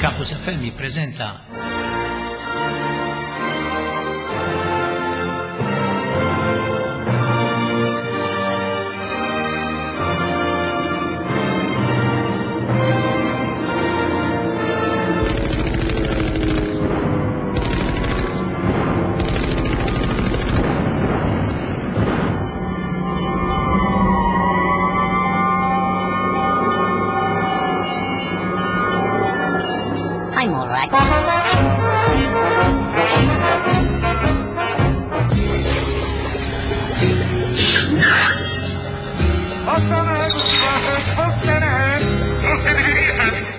Campus FM jippreżenta I'm all right.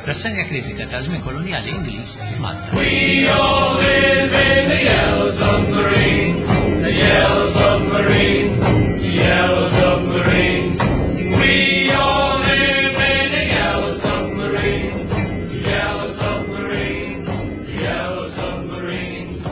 Rassenja kritika ta' żmien kolonjali Ingliż f'Malta. We all live in the yellow submarine, the yellow submarine, the yellow submarine. We all live in the yellow submarine, the yellow submarine, the yellow submarine.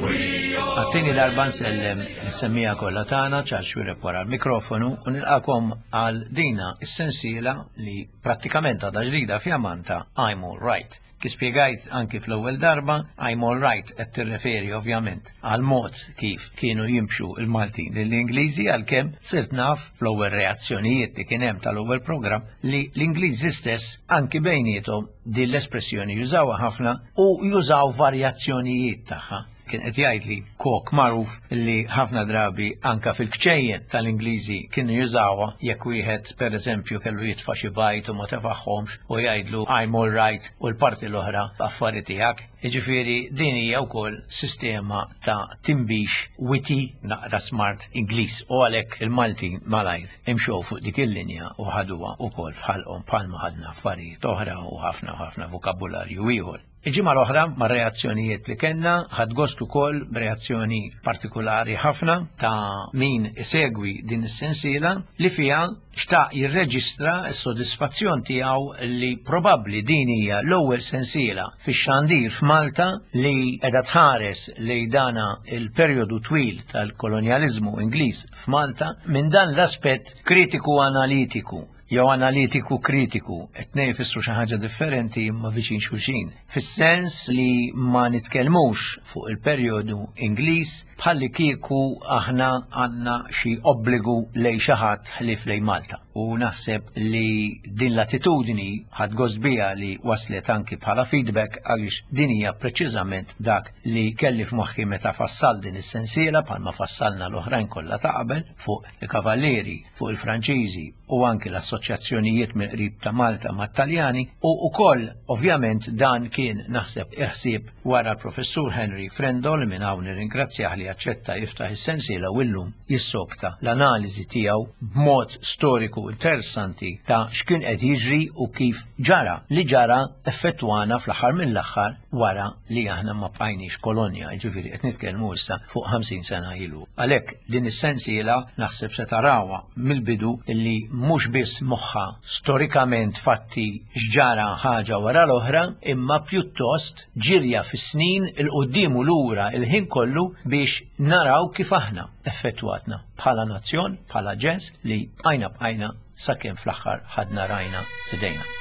We all Għat-tieni darba nsellem lis-semmiegħa kollha tagħna Charles Xuereb wara l-mikrofonu u nilqakom għal dina s-sensiela li prattikament għadha ġdida fjamanta I'm All Right. Kif spjegajt anki fl-ewwel darba, I'm All Right qed tirreferi ovvjament għal mod kif kienu jimxu l-Maltin lill-Ingliżi għalkemm sirt naf fl-ewwel reazzjonijiet li kien hemm tal-ewwel programm li l-Ingliżi stess anki bejniethom din l-espressjoni jużawha ħafna u jużaw varjazzjonijiet tagħha. Kien qed jgħidli kok magħruf li ħafna drabi anka fil-kċejjen tal-Ingliżi kienu jużawha jekk wieħed pereżempju kellu jitfa' xi bajd u ma tefagħhomx u jgħidlu I'm all right u l-parti l-oħra affari tiegħek. Jiġifieri din hija wkoll sistema ta' tinbix witty naqra smart Ingliż u għalhekk il-Maltin malajr imxew fuq dik il-linja u ħaduha wkoll f'ħalqhom bħalma ħadna affarijiet oħra u ħafna u ħafna vokabularju ieħor. Il-ġimgħa l-oħra mar-reazzjonijiet li kellna ħadt gost ukoll b'reazzjoni partikulari ħafna ta' min isegwi din is-sensiela li fiha xtaq jirreġistra s-sodisfazzjon tiegħu li probabbli din hija l-ewwel sensiela fix-xandir f'Malta li qiegħda tħares lejn dana il-perjodu twil tal-kolonjaliżmu Ingliż f'Malta minn dan l-aspett kritiku analitiku jew analitiku kritiku, it-tnejn ifissru xi ħaġa differenti imma viċin xulxin. Fis-sens li ma nitkellmux fuq il-perjodu Ingliż bħalli kieku aħna għandna xi obbligu lejn xi ħadd ħlief lejn Malta. U naħseb li din l-attitudni ħadt gost biha li waslet anki bħala feedback għaliex din hija preċiżament dak li kelli f'moħħi meta fassal din is-sensiela bħalma fassalna l-oħrajn kollha ta' qabel fuq il-Kavallieri, fuq il-Franċiżi u anki l-assoċjazzjonijiet mill-qrib ta' Malta mat-Taljani u wkoll ovvjament dan kien naħseb il-ħsieb wara l-Professur Henry Frendo li minn hawn nirringrazzjah li aċċetta jiftaħ is-sensiela u llum jissokta l-analiżi tiegħu b'mod storiku interessanti ta' x'kien qed jiġri u kif ġara li ġara effettwana fl-aħħar mill-aħħar wara li aħna ma bqajniex kolonja, jiġifieri qed nitkellmu issa fuq 50 sena ilu. Għalhekk din is-sensiela naħseb se tarawha mill-bidu li mhux biss moħħha storikament fatti x'ġara ħaġa wara l-oħra, imma pjuttost ġirja fis-snin 'il quddiem u lura il-ħin kollu biex naraw kif aħna effettwatna bħala nazzjon, bħala ġens li bqajna bqajna sakemm fl-aħħar ħadna rajna f'idejna.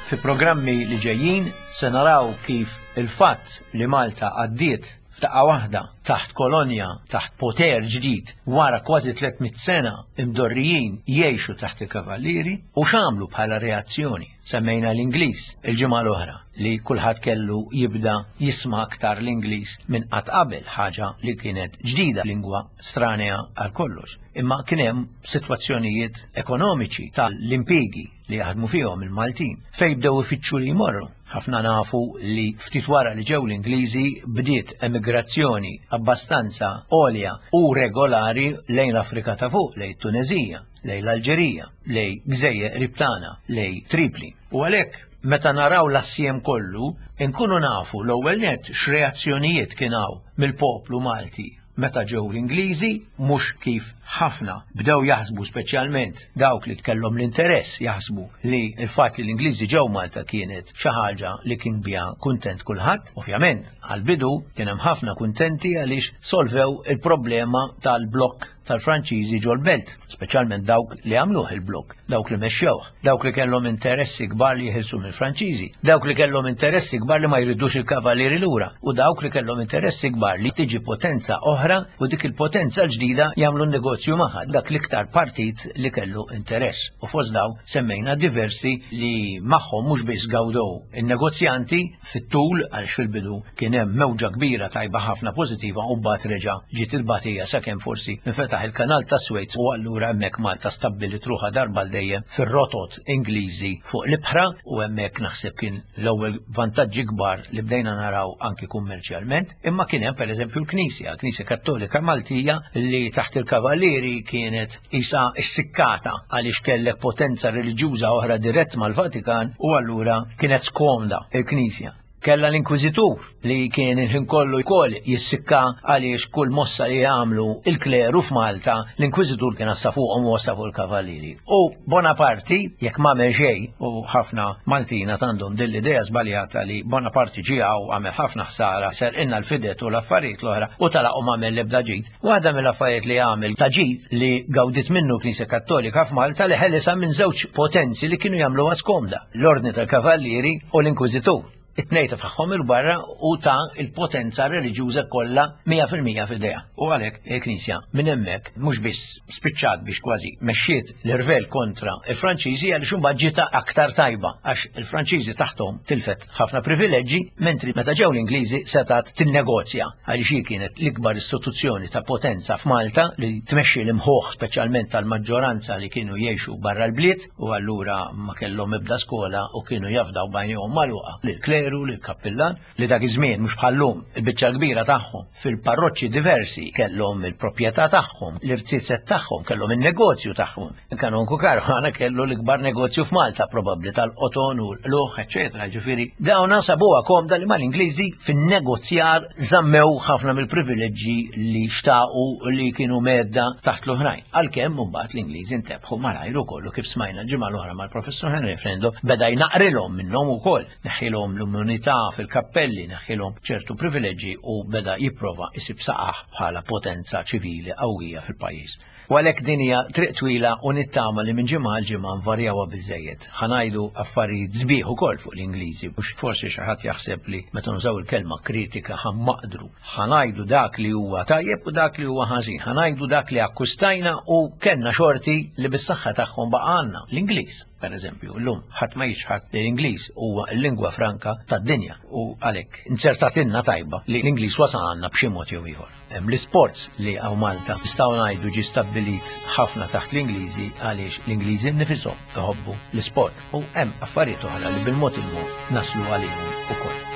Fi programmi li ġejjin se naraw kif il-fatt li Malta għaddiet f'daqqa waħda taħt kolonja, taħt poter ġdid wara kważi 300 sena imdorrijin jgħixu taħt il-kavallieri u x'għamlu bħala reazzjoni. Semmejna l-Ingliż il-ġimgħa l-oħra li kulħadd kellu jibda jisma' aktar l-Ingliż minn qatt qabel, ħaġa li kienet ġdida, lingwa stranea għal kollox. Imma kien hemm sitwazzjonijiet ekonomiċi tal-impjiegi li jaħdmu fihom il-Maltin, fejn bdew ifittxu li jmorru. Ħafna nafu li ftit wara li ġew l-Ingliżi bdiet emigrazzjoni abbastanza għolja u regolari lejn l-Afrika ta' fuq, lejn it-Tuneżija, lejn l-Alġerija, lejn gżejjer qrib tagħna, lejn Tripli. U għalhekk meta naraw l-assjem kollu, inkunu nafu l-ewwel nett x'reazzjonijiet kien hawn mill-poplu Malti. meta ġew l-Ingliżi, mhux kif ħafna bdew jaħsbu speċjalment dawk li kellhom l-interess jaħsbu li l-fatt li l-Ingliżi ġew Malta kienet xi ħaġa li kien biha kuntent kulħadd. Ovvjament, għall-bidu kien hemm ħafna kuntenti għaliex solvew il-problema tal-blokk tal-Franċiżi ġol-belt, speċjalment dawk li għamluh il-blokk, dawk li mexxewh, dawk li kellhom interessi kbar li jeħilsu mill-Franċiżi, dawk li kellhom interessi kbar li ma jridux il-Kavalieri lura u dawk li kellhom interessi kbar li tiġi potenza oħra u dik il-potenza l-ġdida jagħmlu n-negozju magħha, dak l-iktar partit li kellu interess. U fost dawn semmejna diversi li magħhom mhux biss gawdew in-negozjanti fit-tul għaliex fil-bidu kien hemm mewġa kbira tajba ħafna pożittiva u mbagħad reġa' ġiet il-batija sakemm forsi nfetaħ il-kanal ta' Suez u allura hemmhekk Malta stabbilit ruħha darba għal dejjem fir-rotot Ingliżi fuq l-ibħra u hemmhekk naħseb kien l-ewwel vantaġġi kbar li bdejna naraw anki kummerċjalment. Imma kien hemm pereżempju l-Knisja, l-Knisja Kattolika Maltija li taħt il-Kavallieri kienet isa issikkata għaliex kellek potenza reliġjuża oħra dirett mal-Vatikan u allura kienet skomda il-Knisja. Kellha l-Inkwiżitur li kien il-ħin kollu wkoll jissikka għaliex kull mossa li jagħmlu il-kleru f'Malta, l-Inkwiżitur kien għassa fuqhom u għassa fuq il-Kavallieri. U Bonaparti, jekk m'għamel xejn, u ħafna Maltin għad għandhom din l-idea żbaljata li Bonaparti ġie hawn għamel ħafna ħsara, serqilna l-fidet u l-affarijiet l-oħra u telaq u m'għamel l-ebda ġid. Waħda mill-affarijiet li għamel ta' ġid li gawdiet minnu l-Knisja Kattolika f'Malta li ħelisha minn żewġ potenzi li kienu jagħmluha skomda, l-Ordni tal-Kavallieri u l-Inkwiżitur. It-tnejn tefagħhom 'il barra u ta l-potenza reliġjuża kollha 100% f'idejha. U għalhekk il-Knisja minn hemmhekk mhux biss spiċċat biex kważi mexxiet l-irvell kontra l-Franċiżi għaliex imbagħad ġietha aktar tajba għax il-Franċiżi taħthom tilfet ħafna privileġġi, mentri meta ġew l-Ingliżi setgħet tinnegozja għaliex hi kienet l-ikbar istituzzjoni ta' potenza f'Malta li tmexxi l-imħuħ speċjalment tal-maġġoranza li kienu jgħixu barra l-bliet u allura ma kellhom ebda skola u kienu jafdaw b'għajnejhom magħluqa lill-kleru, lill-kappillan li dak iż-żmien mhux bħal-lum il-biċċa l-kbira tagħhom fil-parroċċi diversi kellhom il-proprjetà tagħhom, l-irziezet tagħhom, kellhom in-negozju tagħhom. Il-Kanonku Caruana kellu l-ikbar negozju f'Malta probabbli tal-qoton u l-qluħ, eċetera. Ġifieri dawn sabuha komda li mal-Ingliżi fin-negozjar żammew ħafna mill-privileġġi li xtaqu li kienu medda taħt l-oħrajn. Għalkemm imbagħad l-Ingliżi ntebħu malajr ukoll u kif smajna l-ġimgħa l-oħra mal-Professur Henry Frendo beda jnaqrilhom minnhom ukoll, neħħilhom l-immunità fil-kappelli, neħħilhom ċertu privileġġi u beda jipprova jsib saqah bħala potenza ċivili qawwija fil-pajjiż. U għalhekk din hija triq twila u nittama li minn ġimgħa għal ġimgħa nvarjawha biżżejjed. Ħa ngħidu affarijiet sbieħ ukoll fuq l-Ingliżi biex forsi xi ħadd jaħseb li meta nużaw il-kelma kritika ħa mmaqdru. Ħa ngħidu dak li huwa tajjeb u dak li huwa ħażin. Ħa ngħidu dak li akkwistajna u kellna xorti li bis-saħħa tagħhom baqa' għandna, l-Ingliż. Per eżempju, llum ħadd ma jiċħad li l-Ingliż huwa l-lingwa franka tad-dinja u għalhekk inzertatilna tajba li l-Ingliż wasal għandna b'xi mod jew ieħor. Hemm l-isports li hawn Malta nistgħu ngħidu ġie stabbilit ħafna taħt l-Ingliżi għaliex l-Ingliżi nnifishom iħobbu l-isport u hemm affarijiet oħra li bil-mod il-mod naslu għalihom ukoll.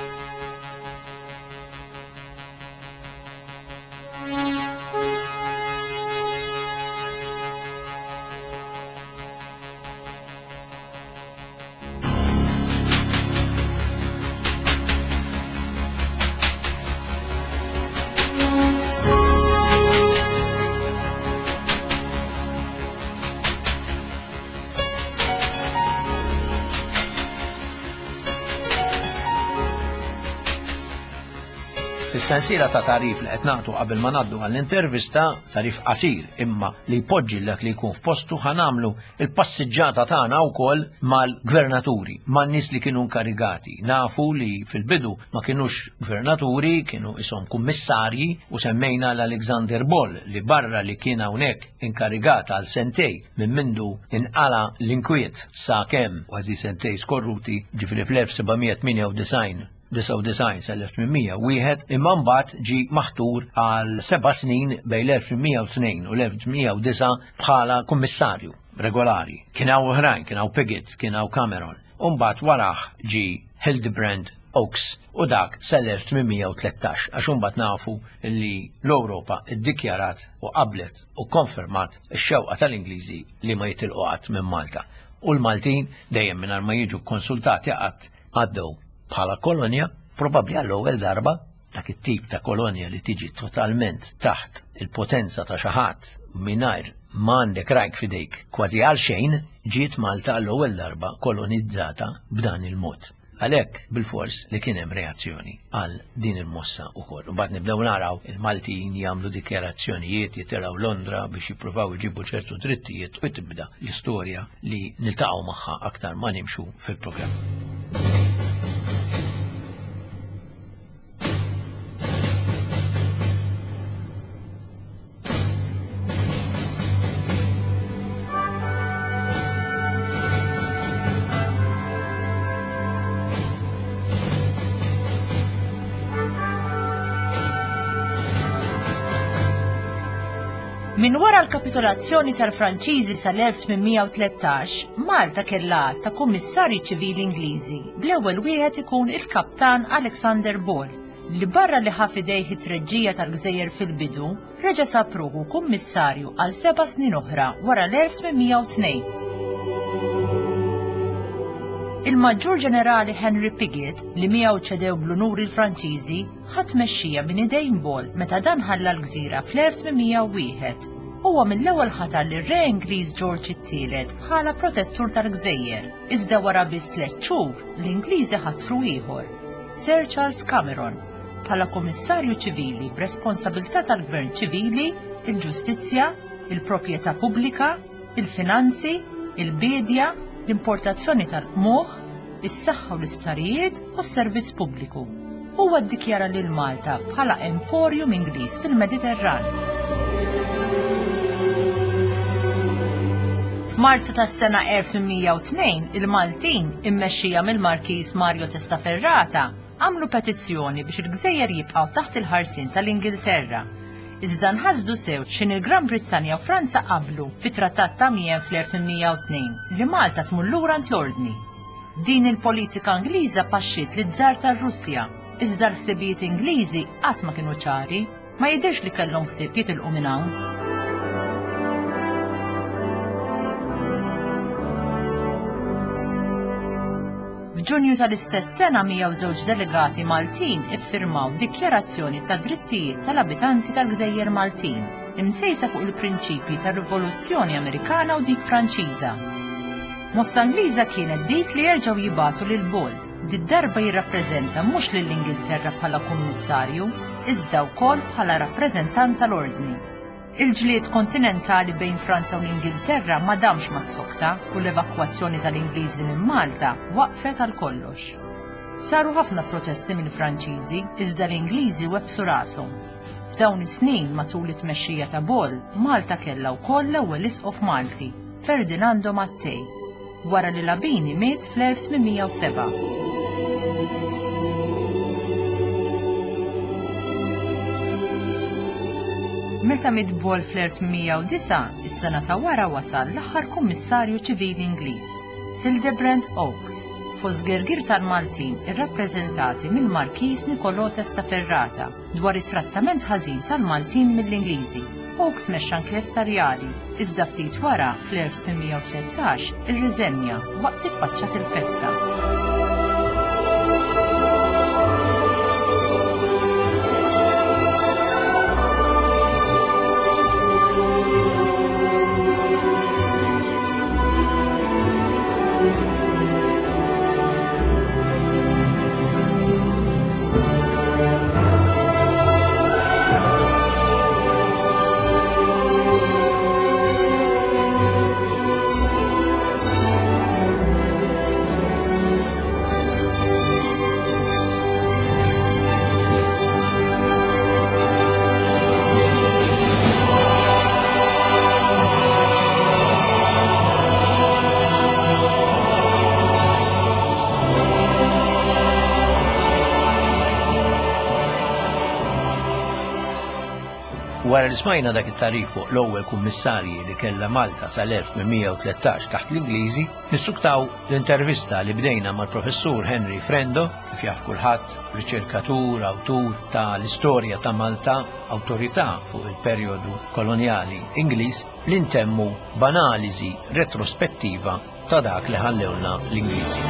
Fis-sensiela ta' tarif li qed nagħtu qabel ma ngħaddu għall-intervista, tarif qasir imma li jpoġġi dak li jkun f'postu ħa nagħmlu il-passiġġata tagħna wkoll mal-gvernaturi, man-nies li kienu nkarigati. Nafu li fil-bidu ma kinux gvernaturi, kienu ishom kummissarji u semmejna l-Alexander Boll li barra li kien hawnhekk inkarigat għal sentej minn mindu inqala l-inkwiet sa kemm kważi sentej skorruti, ġifieri fl-1798 99 sal-1801 imma mbagħad ġie maħtur għal seba' snin bejn l-1802 u l-1809 bħala kummissarju regolari. Kien hawn oħrajn, kien hawn Piggott, kien hawn Cameron. U mbagħad warah ġie Hildebrand Oakes u dak sal-1813 għax imbagħad nafu li l-Ewropa iddikjarat u qablet u konfermat ix-xewqa tal-Ingliżi li ma jitilqu qatt minn Malta. U l-Maltin dejjem mingħajr ma jiġu konsultati qatt għaddew bħala kolonja, probabbli għall-ewwel darba. Dak it-tip ta' kolonja li tiġi totalment taħt il-potenza ta' xi ħadd mingħajr ma għandek rajk f'idejk kważi għal xejn, ġiet Malta għall-ewwel darba kolonizzata b'dan il-mod. Għalhekk bilfors li kien hemm reazzjoni għal din il-mossa wkoll. Imbagħad nibdew naraw il-Maltin jagħmlu dikjarazzjonijiet, jitilgħu Londra biex jippruvaw iġibu ċertu drittijiet u tibda l-istorja li niltaqgħu magħha aktar ma nimxu fil-programm. Minn wara l-kapitolazzjoni tal-Franċiżi sal-1813, Malta kellha għadd ta' kummissarji ċivili Ingliżi, bl-ewwel wieħed ikun il-Kaptan Alexander Ball, li barra li ħa f'idejh it-treġġija tal-gżejjer fil-bidu, reġa' sab ruħu kummissarju għal seba' snin oħra wara l-1802. Il-Maġġur Ġenerali Henry Piggott, li miegħu ċedew bl-unuri l-Franċiżi, ħa tmexxija minn idejn Ball meta dan ħalla l-gżira fl-1801. Huwa mill-ewwel ħatar lir-Re Ingliż Ġorġ it-Tielet bħala protettur tal-gżejjer, iżda wara biss tliet xhur, l-Ingliżi ħatru ieħor, Sir Charles Cameron, bħala Kummissarju Ċivili b'responsabilità tal-Gvern Ċivili, il-Ġustizzja, il-Proprjetà Pubblika, il-Finanzi, il-Biedja, l-Importazzjoni tal-Qmuħ, is-Saħħa u l-Isptarijiet u s-Servizz Pubbliku. Huwa ddikjara lil Malta bħala emporium Ingliż fil-Mediterran. F'Marzu tas-sena 1802, il-Maltin, immexxija mill-Markiż Mario Testaferrata, għamlu petizzjoni biex il-gżejjer jibqgħu taħt il-ħarsien tal-Ingilterra. Iżda nħasdu sew x'in il-Gran Brittanja u Franza qablu fit-Trattat ta' Amiens fl-1802 li Malta tmur lura għand l-Ordni. Din il-politika Ingliża paxxiet liż-Żar tar-Russja, iżda l-ħsibijiet Ingliżi qatt ma kienu ċari, ma jidhirx li kellhom ħsieb jitilqu minn hawn. F'Ġunju tal-istess sena 102 delegati Maltin iffirmaw Dikjarazzjoni tad-Drittijiet tal-Abitanti tal-Gżejjer Maltin, imsejsa fuq il-prinċipji tar-Rivoluzzjoni Amerikana u dik Franċiża. Mossa Ingliża kienet dik li jerġgħu jibagħtu lil Ball, did-darba jirrappreżenta mhux lill-Ingilterra bħala kummissarju, iżda wkoll bħala rappreżentant tal-Ordni. Il-ġlied kontinentali bejn Franza u l-Ingilterra ma damx ma ssokta u l-evakwazzjoni tal-Ingliżi minn Malta waqfet għal kollox. Saru ħafna protesti mill-Franċiżi, iżda l-Ingliżi webbsu rashom. F'dawn is-snin, matul it-tmexxija ta' Ball, Malta kellha wkoll l-ewwel isqof Malti, Ferdinando Mattei, wara li Labini miet fl-1807. Meta miet Ball fl-1809, is-sena ta' wara wasal l-aħħar kummissarju ċivili Ingliż, Hildebrand Oakes, fost gergir tal-Maltin irrappreżentati mill-Markiż Nicolò Testaferrata dwar it-trattament ħażin tal-Maltin mill-Ingliżi. Oakes mexxa inkjesta rjali, iżda ftit wara, fl-1813, irriżenja waqt li tfaċċat il-pesta. Wara li smajna dak it-tagħrif fuq l-ewwel kummissarji li kellha Malta sal-1813 taħt l-Ingliżi, nissuktaw l-intervista li bdejna mal-Professur Henry Frendo, kif jaf kulħadd, riċerkatur, awtur ta' l-istorja ta' Malta, awtorità fuq il-perjodu kolonjali Ingliż, li ntemmu b'analiżi retrospettiva ta' dak li ħallewlna l-Ingliżi.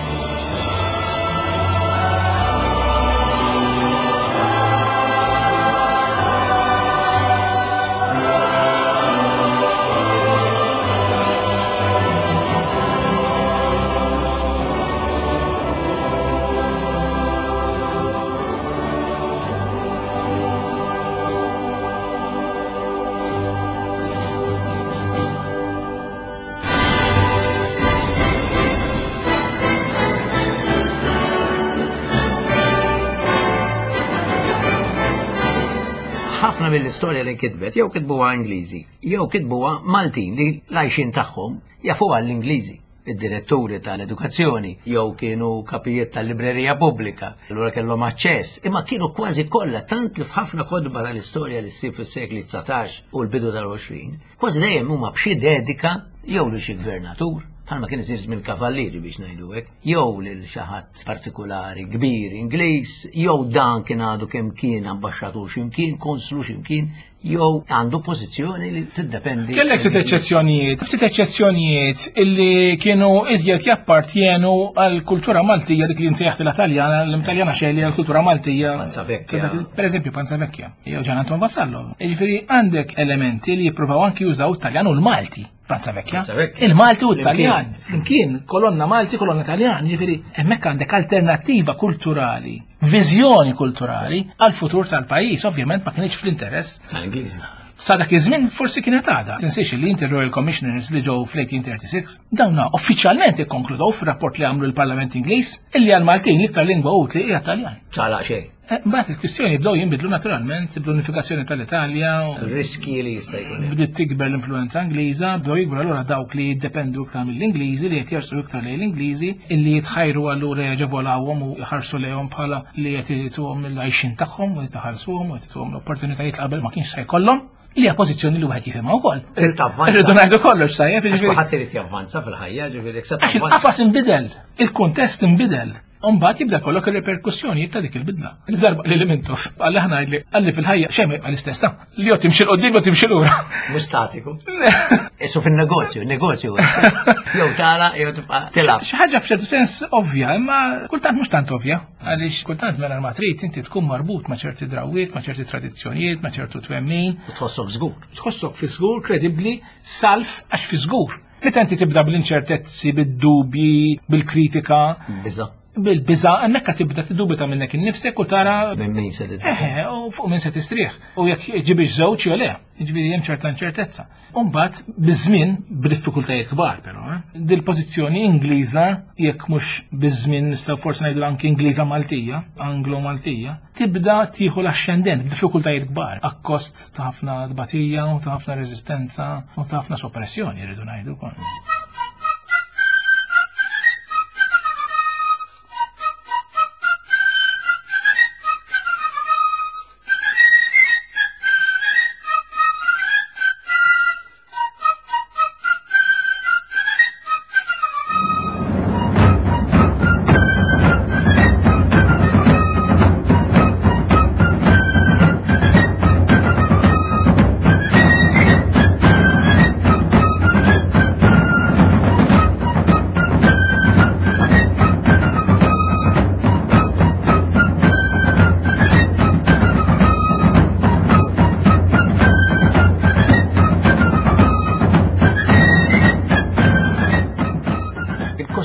Ħafna mill-istorja li nkitbet jew kitbuha Ingliżi, jew kitbuha Maltin li l-għajxien tagħhom jafuha l-Ingliżi. Id-diretturi tal-edukazzjoni jew kienu kapijiet tal-librerija pubblika, allura kellhom aċċess, imma kienu kważi kollha tant li f'ħafna kotba tal-istorja li ssib fis-sekli 19 u l-bidu tal-20, kważi dejjem huma b'xi dedika jew lil xi gvernatur, bħalma kien isir żmien kavallieri biex ngħidu hekk, jew lil xi ħadd partikulari kbir Ingliż, jew dan kien għadu kemm kien ambaxxatur x'imkien, konslu x'imkien, jew għandu pożizzjoni li tiddependi. Kellek ftit eċċezzjonijiet, ftit eċċezzjonijiet illi kienu iżjed jappartjenu għal kultura Maltija dik li nsejjaħt l-Taljana, l-Italjana xejn li għal-kultura Maltija. Panza Vecchia. Per eżempju, Panza Vecchia. Jew Ġan Anton Vassallo. Jiġifieri għandek elementi li jippruvaw anki jużaw it-Taljan u l-Malti. Panza Vecchia. Il-Malti u t-Taljan. Flimkien, kolonna Malti, kolonna Taljan. Jiġifieri hemmhekk għandek alternattiva kulturali, viżjoni kulturali għal-futur tal-pajjiż. Ovvjament ma kienx fl-interess. Tal-Ingliżi. Sa dak iż-żmien forsi kienet għada. Tinsiex li inti Royal Commissioners li ġew fl-1836, dawna uffiċjalment ikkonkludew fir-rapport li għamlu l-Parlament Ingliż illi għal-Maltin l-iktar lingwa utli hija Taljan. Ċala xejn. Eh, mbagħad il-kwistjoni bdew jinbidlu naturalment bl-unifikazzjoni tal-Italja. Riski li jista' jkun. Bdiet tikber l-influenza Ingliża, bdew jikbru allura dawk li jiddependu iktar mill-Ingliżi li qed jersu iktar lejn l-Ingliżi, illi jitħajru allura jaġevolawhom u jħarsu lejhom bħala li qed jituhom il-għajxin tagħhom u jtaħallsuhom u jtuhom l-opportunitajiet qabel ma kienx se jkollhom li hija pożizzjoni li wieħed jifhimha wkoll. Irridu ngħidu kollox sajjeb. Għax kulħadd irid javvanza fil-ħajja, ġifieri Għax il-qafas inbidel, il-kuntest inbidel. Umbagħad jibda kollok ir-reperkussjonijiet ta' dik il-bidla. Darba li Mintoff għalli ħna li għalli fil-ħajja xejn ma l-istess ta' li jew timxi l-qoddim jew timxi lura. Mhux statiku. Isu fin-negozju, negozju. Jew tara jew tibqa' tilgħab. Xi ħaġa f'ċertu sens ovvja, imma kultant mhux tant ovvja, għaliex kultant mela ma trid inti tkun marbut ma' ċerti drawwiet, ma' ċerti tradizzjonijiet, ma' ċertu twemmin. U tħossok żgur. Tħossok fi żgur, kredibbli, salf għax fi żgur. Meta inti tibda bl-inċertezzi, bid-dubji, bil-kritika. Biża. Bil-biża, hemmhekk tibda tiddubita minnek innifsek u tara. Minn min se Eħe, u fuq min se tistrieħ. U jekk ġibix żewġ jew le, jiġifieri hemm ċerta inċertezza. U mbagħad biż-żmien b'diffikultajiet kbar però, eh, dil-pożizzjoni Ingliża jekk mhux biż-żmien nistgħu forsi ngħidu anki Ingliża Maltija, Anglo-Maltija, tibda tieħu l-axxendent b'diffikultajiet kbar, akkost ta' ħafna tbatija u ta' ħafna reżistenza u ta' ħafna soppressjoni rridu ngħidu wkoll.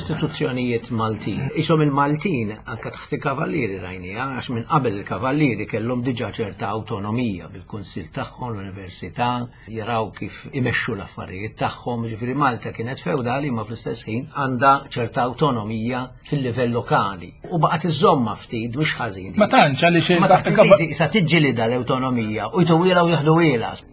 Il-kostituzzjonijiet Maltin. Isom il-Maltin anka taħt il-Kavallieri rajnija, għax minn qabel il-Kavallieri kellhom diġà ċerta awtonomija bil-kunsill tagħhom, l-università, jaraw kif imexxu l-affarijiet tagħhom, ġifieri Malta kienet feudali ma fl-istess ħin għandha ċerta awtonomija fil-livell lokali. U baqgħet iżomma ftit mhux ħażin. Ma tantx għaliex Ma taħt il-Ingliżi sa tiġġilida l-awtonomija u jtuwilha u jaħdu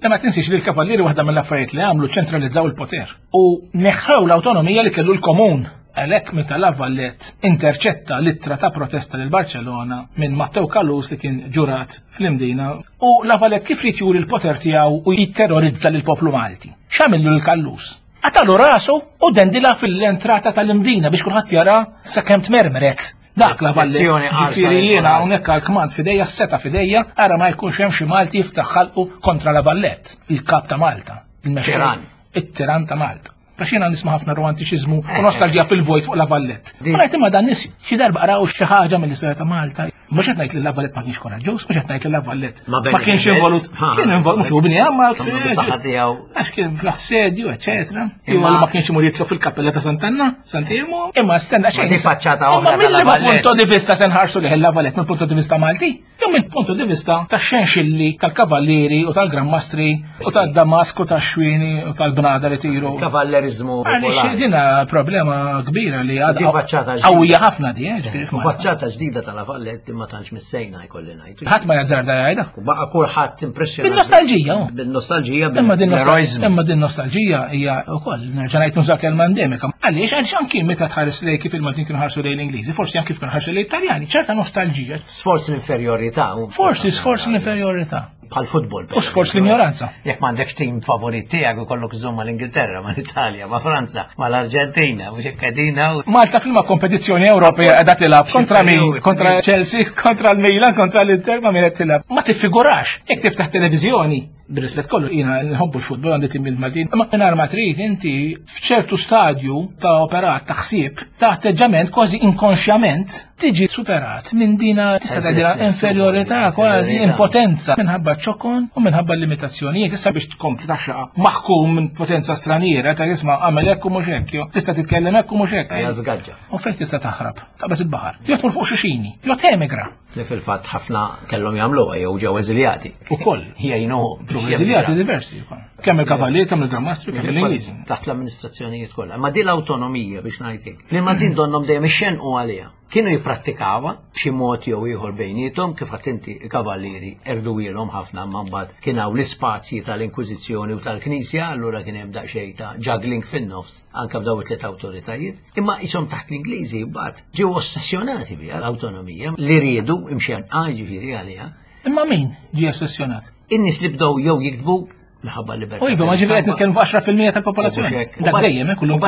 Ma tinsiex li l-kavallieri waħda mill-affarijiet li għamlu ċentralizzaw il-poter u neħħew l-awtonomija li kellu l-komun. Għalhekk meta La Valette interċetta l-ittra ta' protesta lil Barcellona minn Matteo Callus li kien ġurat fl-Imdina u La Valette kif ried juri l-poter tiegħu u jitterrorizza lil poplu Malti. X'għamillu lil Callus? Qatalu rasu u dendilha fil-entrata tal-Imdina biex kulħadd jara sakemm tmermret. Dak La Valette. Ġifieri jiena hawnhekk għall-kmand f'idejja, s-seta f'idejja, ara ma jkunx hemm xi Malti jiftaħ ħalqu kontra La Valette, il-kap ta' Malta, il-mexxej, it-tiran ta' Malta. Għax jiena nisma' ħafna romantiċiżmu u nostalġija fil-vojt fuq La Valette. Ma ngħid imma dan nies xi darba qraw xi ħaġa mill-istorja ta' Malta. Mhux qed ngħid li La Valette ma kienx koraġġuż, mhux qed ngħid li La Valette ma kienx involut. Kien involut mhux hu bniha ma għax kien fl-assedju, eċetera. Imma ma kienx imur jitlob fil-kappella ta' Sant'Anna, Sant'Irmu, imma stenna xejn. Di faċċata oħra. Imma mill punto di vista se nħarsu li La Valette mill punto di vista Malti. Jew minn puntu di vista ta' xenxilli tal-kavallieri u tal-Gran Mastri u tad-Damask u tax-xwieni u tal-bnada li tiru. Kavalleriżmu. Għaliex dina problema kbira li għadha faċċata qawwija ħafna di, eh, ġifieri f'Malta. Faċċata ġdida tal-Valletti ma tantx missejna jkolli ngħid. Ħadd ma jazzarda jgħidha. U baqa' kulħadd impressjonat. Bil-nostalġija, oh. Bil-nostalġija, Imma din bil-eroiżmu. imma din nostalġija hija wkoll nerġa' ngħid nuża kelma endemika. Għaliex għaliex anki meta tħares lej kif il-Maltin kienu ħarsu lejn l-Ingliżi, forsi anki kif kienu ħarsu lejn Italjani, ċerta nostalġija. Sforz l-inferjorità. Forsi sforz l-inferjorità. Bħal futbol. U sforz l-ignoranza. Jekk m'għandekx tim favorit tiegħek ikollok iżomm mal-Ingilterra, mal-Italja, ma' Franza, mal-Arġentina, mhux hekk qegħdin hawn. Malta fil-ma kompetizzjoni Ewropea qiegħda tilgħab kontra min? Kontra Chelsea, kontra l-Milan, kontra l-Inter, ma' min qed tilgħab. Ma tiffigurax. Jekk tiftaħ televiżjoni, bir-rispett kollu jiena nħobbu l-futbol għandi tim il-Maltin, imma mingħajr ma trid inti f'ċertu stadju ta' operat ta' ħsieb, ta' atteġġament kważi inkonxjament tiġi superat minn dina tista' tgħidilha inferjorità kważi impotenza minħabba ċokon u minħabba limitazzjonijiet. Issa biex tkompli taxxaqa maħkum minn potenza straniera ta' isma' għamel hekk u mhux hekk, jew tista' titkellem hekk u mhux hekk. Hija l-vgaġġa. U fejn tista' taħrab? Taqbeż il-baħar. Jew tmur fuq xixini, jew temigra. Li fil-fatt ħafna kellhom jagħmluha jew ġew eżiljati. Ukoll. Jgħinuhom. Ġew eżiljati diversi wkoll. Kemm il-Kavalier, kemm il-Gran Mastri, kemm l-Ingliżi. Taħt l-amministrazzjonijiet kollha. Ma din l-awtonomija biex ngħidlek. Li ma din donnhom dejjem ixxenqu għaliha. Kienu jipprattikawha b'xi mod jew ieħor bejniethom kif għedt inti il-Kavallieri erduwielhom ħafna imma mbagħad kien hawn l-ispazji tal-Inkwiżizzjoni u tal-Knisja allura kien hemm daqsxejn ta' juggling fin-nofs anke b'daw it-tliet awtoritajiet. Imma qishom taħt l-Ingliżi mbagħad ġew ossessjonati biha l-awtonomija li riedu imxenqa ġifieri għaliha. Imma min ġie ossessjonat? In-nies li bdew jew jiktbu minħabba l-libertà. U iva, ma ġifieri qed nitkellmu fuq 10% tal-popolazzjoni. Dak dejjem hekk kullum.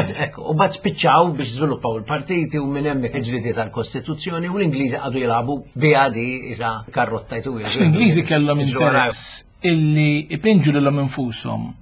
U bad spiċċaw biex żviluppaw il-partiti u minn hemmhekk il-ġliedi tal-Kostituzzjoni u l-Ingliżi qagħdu jilagħbu biha di isa karrotta jtu. L-Ingliżi kellhom interess illi ipinġu lilhom infushom.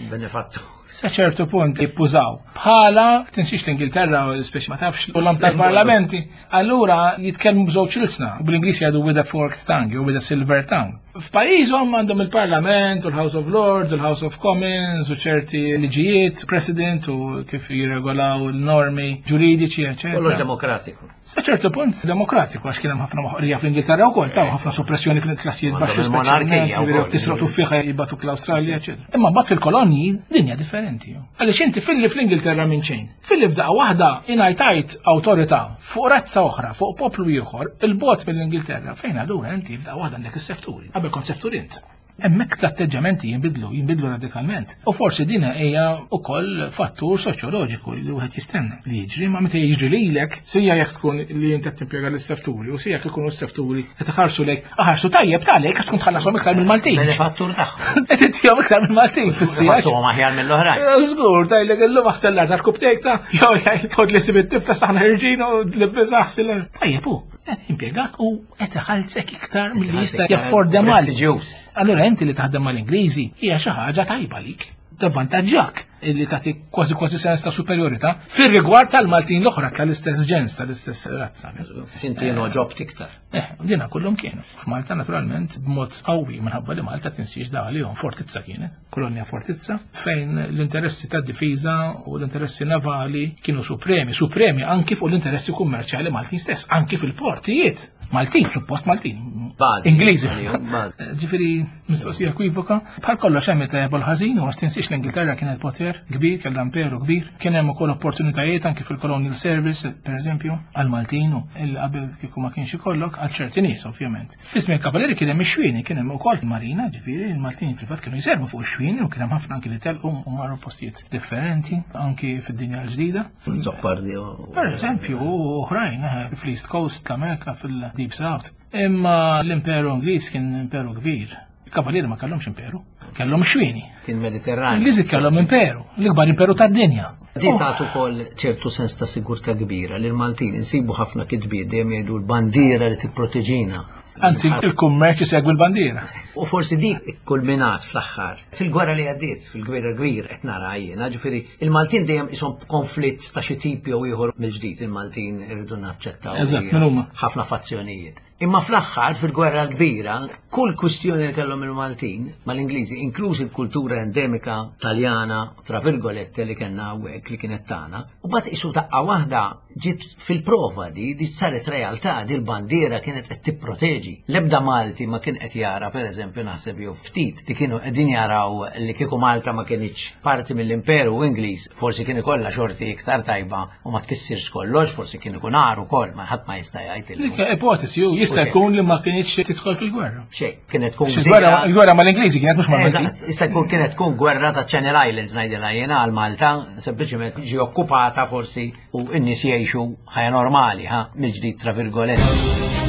Benefattu. Sa ċertu punt jippużaw. Bħala, tinsiex l-Ingilterra, speċi ma tafx, u l tal-parlamenti, allura jitkellmu b'żewġ ilsna, bl-Ingliż jgħidu with a forked tongue, jew with a silver tongue. F'pajjiżhom għandhom il-Parlament, u l-House of Lords, u l-House of Commons, u ċerti liġijiet, President, u kif jirregolaw il-normi ġuridiċi, eccetera. Kollox demokratiku. Sa ċertu punt demokratiku għax kien hemm ħafna moħqrija fl-Ingilterra wkoll taw ħafna soppressjoni fil-klassijiet baxxi monarkija tisroq tuffiħa jibgħatuk l-Awstralja, eċetera. Imma mbagħad fil-kolonji dinja differenti. Għaliex inti filli fl-Ingilterra minn xejn. Filli f'daqqa waħda ingħajtajt awtorità fuq razza oħra, fuq poplu ieħor, il-bot mill-Ingilterra fejn allura inti f'daqqa waħda għandek is-sefturi. Qabel kont seftur int. Hemmhekk l-atteġġamenti jinbidlu, jinbidlu radikalment. U forsi din hija wkoll fattur soċjoloġiku li wieħed jistenna li jiġri, ma meta jiġri lilek, sija jekk tkun li inti qed timpjega l-istefturi u sija jekk ikunu s-sefturi qed iħarsu lejk, aħarsu tajjeb ta' għalek għax tkun tħallasom iktar mill-Maltin. Benefattur tagħhom. Qed ittihom iktar mill-Maltin fis-sija. Ħassuhom aħjar mill-oħrajn. Żgur, tajlek illum aħsel l-art tal-kubtejk ta' jew jgħid ħod li sib it-tifla saħna ħirġin u l-biża aħsel. Tajjeb hu, qed jimpjegak u qed iħallsek iktar milli jista' jaffordja mal. Prestiġjuż. Allura inti li taħdem mal-Ingliżi hija xi ħaġa tajba lik. Tavvantaġġak illi tagħti kważi kważi sens ta' superjorità fir-rigward tal-Maltin l-oħra tal-istess ġens, tal-istess razza. X'inti ġobt iktar. Eh, dina kullhom kienu. F'Malta naturalment b'mod qawwi minħabba li Malta tinsiex da għalihom fortizza kienet, kolonja fortizza, fejn l-interessi tad-difiża u l-interessi navali kienu supremi, supremi anki fuq l-interessi kummerċjali Maltin stess, anki fil-portijiet. Maltin, suppost Maltin. Bażi. Ingliżi. Bażi. Ġifieri mistoqsija ekwivoka. Bħal kollox hemm it-tajjeb u l-ħażin, u għax tinsiex l-Ingilterra kienet poter kbir, kellha imperu kbir. Kien hemm ukoll opportunitajiet anki fil-Colonial Service, per eżempju, għal-Maltin u il qabel kieku ma kienx ikollok għal ċerti nies, ovvjament. Fi żmien Kavaleri kien hemm ix-xwieni, kien hemm ukoll marina, ġifieri il-Maltin fil-fatt kienu jservu fuq ix-xwieni u kien hemm ħafna anki li telqu u marru postijiet differenti anki fid-dinja l-ġdida. Zoppardi. Per eżempju, u oħrajn, eh, fl-East Coast tal-Amerika, fil-Deep South. Imma l-Imperu Ingliż kien imperu kbir. Il-Kavalieri ma kellhomx imperu, kellhom xwieni. Kien Mediterranju. L-Ingliżi kellhom imperu, l-ikbar imperu tad-dinja. Di tagħtu wkoll ċertu sens ta' sigurtà kbira li l-Maltin insibu ħafna kitbiet dejjem jgħidu l-bandiera li tipproteġina. Anzi, il-kummerċ isegwi l-bandiera. U forsi dik kulminat fl-aħħar. Fil-gwerra li għaddiet, fil-gwerra kbir qed nara jiena, ġifieri il-Maltin dejjem ishom konflitt ta' xi tip jew ieħor mill-ġdid il-Maltin irridu naċċettaw. Eżatt, min huma? Ħafna fazzjonijiet. Imma fl-aħħar fil-Gwerra l-Kbira, kull kwistjoni li kellhom il-Maltin mal-Ingliżi, inkluż il-kultura endemika Taljana, tra virgolette li kellna hawnhekk li kienet tagħna, u bat isu daqqa waħda ġiet fil-prova di, di saret realtà, di l-bandiera kienet qed tipproteġi. L-ebda Malti ma kien qed jara, per eżempju, naħseb jew ftit li kienu qegħdin jaraw li kieku Malta ma kienx parti mill-Imperu Ingliż, forsi kien ikollha xorti iktar tajba u ma tkissirx kollox, forsi kien ikun għar ukoll, ma ħadd ma jista' jgħid illum. Dik ipotesi hu jista' jkun li ma kienx tidħol fil-gwerra. Xejn, kienet tkun Il-gwerra mal-Ingliżi kienet mhux mal-Maltin. Eżatt, jista' jkun kienet tkun gwerra ta' Channel Islands ngħidilha jiena għal Malta, sempliċement ġi okkupata forsi u n-nies jgħixu ħajja normali, ha, mill-ġdid tra virgoletti.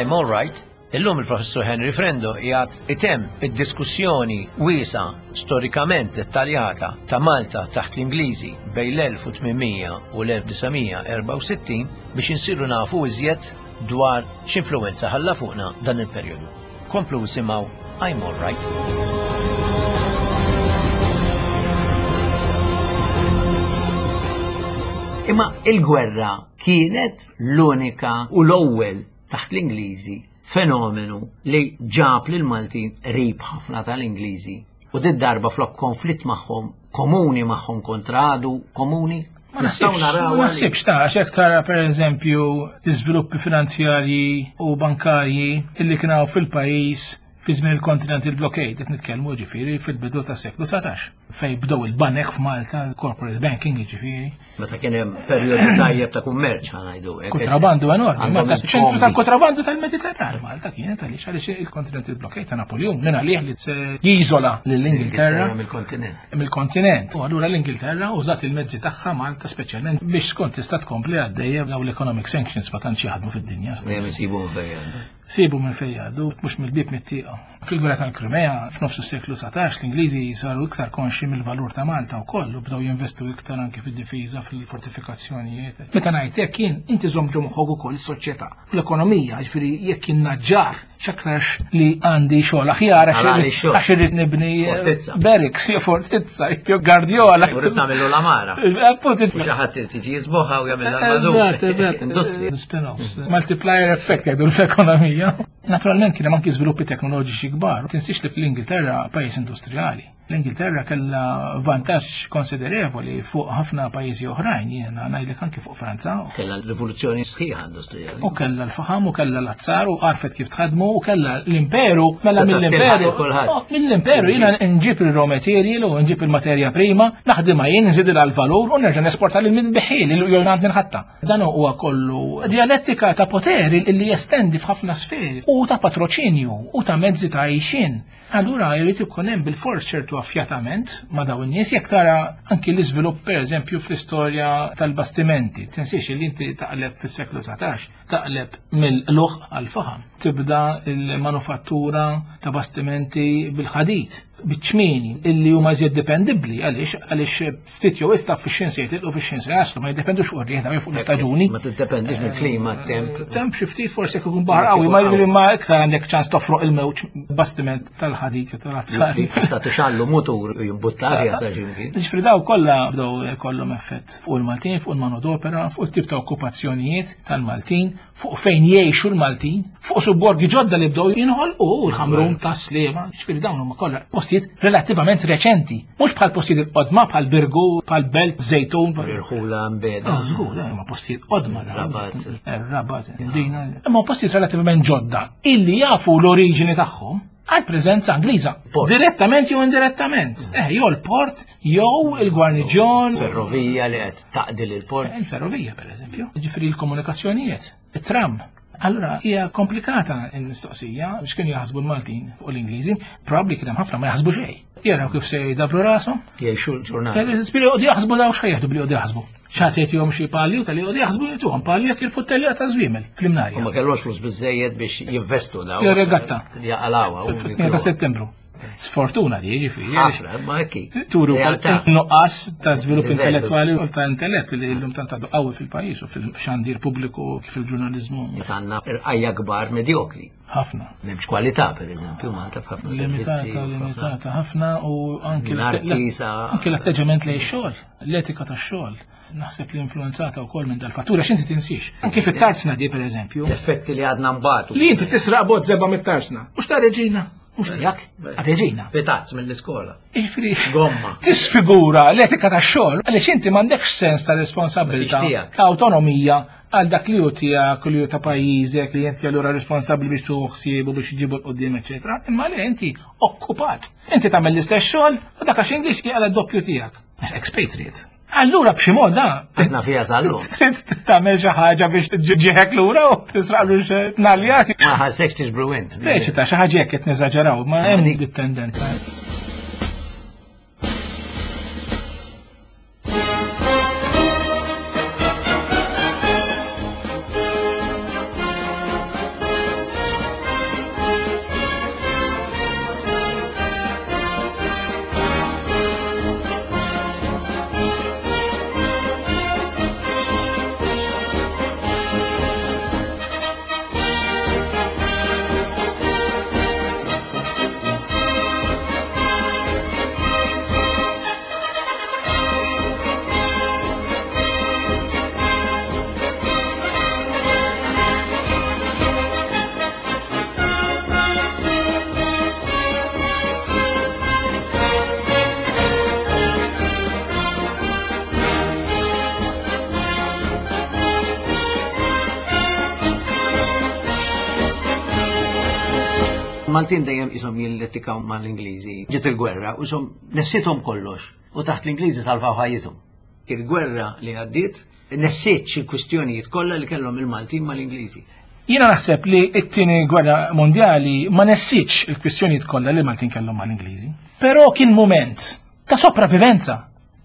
I'm all right. Illum il-Professur Henry Frendo jgħat item id-diskussjoni wiesa storikament dettaljata ta' Malta taħt l-Ingliżi bejn l-1800 u l-1964 biex insiru nafu iżjed dwar x'influwenza ħalla fuqna dan il-perjodu. Komplu isimgħu I'm all right. Imma il-gwerra kienet l-unika u l-ewwel taħt l-Ingliżi fenomenu li ġab lil Maltin qrib ħafna tal-Ingliżi u did darba flok konflitt magħhom komuni magħhom kontra għadu komuni Ma naħsibx ta' għax hekk tara pereżempju l-iżviluppi finanzjarji u bankarji illi kien hawn fil-pajjiż fi żmien il-Continental Blockade, qed nitkellmu ġifieri fil-bidu tas-seklu 19, fejn bdew il-banek f'Malta, corporate banking ġifieri. Meta kien hemm perjodu tajjeb ta' kummerċ ħa ngħidu hekk. Kontrabandu enormi, Malta ċentru tal-kontrabandu tal-Mediterran, Malta kienet għaliex għaliex il-Continental Blockade ta' Napoleon minn għalih li se jiżola lill-Ingilterra mill-kontinent. Mill-kontinent. U allura l-Ingilterra użat il-mezzi tagħha Malta speċjalment biex tkun tista' tkompli għaddejja dawn l-economic sanctions ma tantx jaħdmu fid-dinja. Dejjem isibu fejn. Sibu minn fejn jgħaddu, mhux mill-bieb mit-tieqa. Fil-Gwerra tal-Krimea, f'nofs is-seklu 19, l-Ingliżi saru iktar konxji mill-valur ta' Malta wkoll u bdew jinvestu iktar anki fid-difiża, fil-fortifikazzjonijiet. Meta ngħid hekk jien, inti żomm ġo moħħok ukoll is-soċjetà u l-ekonomija, jiġifieri jekk jien naġġar, x'aktarx li għandi xogħol aħjar għax irrid nibni barracks jew fortizza jew gardjola. U rrid nagħmillu l-amara. Appunto. U xi ħadd irid jiġi jisboħha u jagħmilha l-madum. Eżatt, eżatt. Industrija. Spin-offs. Multiplier effect jgħidu l-ekonomija. Naturalment kien hemm anki żviluppi teknoloġiċi kbar. Tinsiex li l-Ingilterra pajjiż industrijali. L-Ingilterra kellha vantaġġ konsiderevoli fuq ħafna pajjiżi oħrajn, jiena ngħidlek anki fuq Franza. Kellha l-rivoluzzjoni sħiħa industrijali. U kellha l-faħam u kellha l-azzar u għarfet kif tħadmu u kellha l-imperu, mela mill-imperu. Oh, mill-imperu jiena nġib il-raw material u nġib il-materja prima, naħdimha jien nżidilha l-valur u nerġa' nesporta lil min biħil jew għand minn ħatta. Dan huwa kollu dialettika ta' poteri li jestendi f'ħafna sferi u ta' patroċinju u ta' mezzi ta' għixien. Allura jrid ikun hemm bilfors ċertu affjatament ma' dawn in-nies jekk tara anki l-iżvilupp pereżempju fl-istorja tal-bastimenti. Tinsiex li inti taqleb fis-seklu 19, taqleb mill-luħ għal faħam. Tibda l-manufattura ta' bastimenti bil-ħadid biċ-ċmieni illi huma iżjed dipendibbli għaliex għaliex ftit jew issa fix-xejn se jitilqu fix-xejn se jaslu ma jiddependux fuq ir-riħ jew fuq l-istaġuni. Ma tiddependix mill-klima, temp. Temp xi ftit forsi jekk ikun baħar qawwi ma jiġri ma iktar għandek ċans tofroq il-mewġ bastiment tal-ħadid jew tal-azzar. Tista' tixallu mutur u jimbuttar jasal x'imkien. Ġifieri daw kollha bdew kollhom effett fuq il-Maltin, fuq il-manodopera, fuq it-tip ta' okkupazzjonijiet tal-Maltin, fuq fejn jgħixu l-Maltin, fuq subborgi ġodda li bdew jinħolqu u l-ħamrun ta' Sliema, ġifieri dawn huma kollha postijiet relattivament reċenti, mhux bħal postijiet il-qodma bħal Birgu, bħal Belt, Żejtun. Irħula mbeda. Ah, żgur, eh, huma postijiet qodma. Rabat. Eh, Rabat, dina. Imma postijiet relattivament ġodda illi jafu l-oriġini tagħhom. għal preżenza Ingliża. Port. Direttament jew indirettament. Jew l-port, jew il-gwarniġjon. Ferrovija li qed taqdi lil port. Il-ferrovija, per eżempju. Ġifieri l-komunikazzjonijiet, it-tram. Allura, hija komplikata l-mistoqsija biex kienu jaħsbu l-Maltin fuq l-Ingliżi, probabbli kien hemm ħafna ma jaħsbu xejn. Jaraw kif se jdabru rashom. Jgħixu l-ġurnata. Spiri jqogħdu jaħsbu daw x'ħajjaħdu billi jqogħdu jaħsbu. X'ħadd se jtihom xi palju tal jqogħdu jaħsbu jtuhom palju jekk il-puttelja ta' żwiemel fl-imnarja. U ma kellhomx flus biżejjed biex jinvestu daw. Jew regatta. Jaqalawha. Fit-8 ta' Settembru. Sfortuna di, ġifieri. Ħafna, ma hekk. Turu Realtà. nuqqas ta' żvilupp Livellu. intellettwali u ta' intellett li llum tant għadu qawwi fil-pajjiż u fil-xandir pubbliku kif il-ġurnaliżmu. Għandna irqajja kbar medjokri. Ħafna. M'hemmx kwalità, per eżempju, Malta f'ħafna servizzi. Limitata, limitata ħafna u anki Minn arti sa- anki l-atteġġament lejn xogħol, l-etika tax-xogħol. Naħseb li influenzata wkoll minn dal-fattura x'inti tinsix. Anki fit-tarzna di, per eżempju. L-effetti li għadna mbatu. Li inti tisraq bot zebba mit-tarzna. Mhux ta' reġina, mhux tiegħek, ta' reġina. Pitazz mill-iskola. Jiġifieri, Gomma. Tisfigura l-etika tax-xogħol għaliex inti m'għandekx sens ta' responsabilità, Mhix tiegħek. ta' awtonomija għal dak li hu tiegħek u li hu ta' pajjiżek li inti allura responsabbli biex tieħu ħsieb u biex iġibu l-qudiem, eċetera. Imma le inti okkupat. Inti tagħmel l-istess xogħol u dak għax Ingliż jaqla d-doppju tiegħek. Expatriate. Allura b'xi mod da Aħna fiha sal-lum. trid tagħmel xi ħaġa biex ġieħek lura u tisraqlu xi tnalja. Ma ħassekx tiġbru int. Speċi ta' xi ħaġa hekk qed neżaġeraw, ma hemm dit tendenza. Maltin dejjem isom jilletikaw mal-Ingliżi. Ġiet il-gwerra u isom nessithom kollox u taħt l-Ingliżi salvaw ħajjithom. Il-gwerra li għaddiet nessiet il-kwistjonijiet kollha li kellhom il-Maltin mal-Ingliżi. Jiena naħseb li t-tieni gwerra mondjali ma nessitx il-kwistjonijiet kollha li Maltin kellhom mal-Ingliżi. Però kien mument ta' sopravivenza.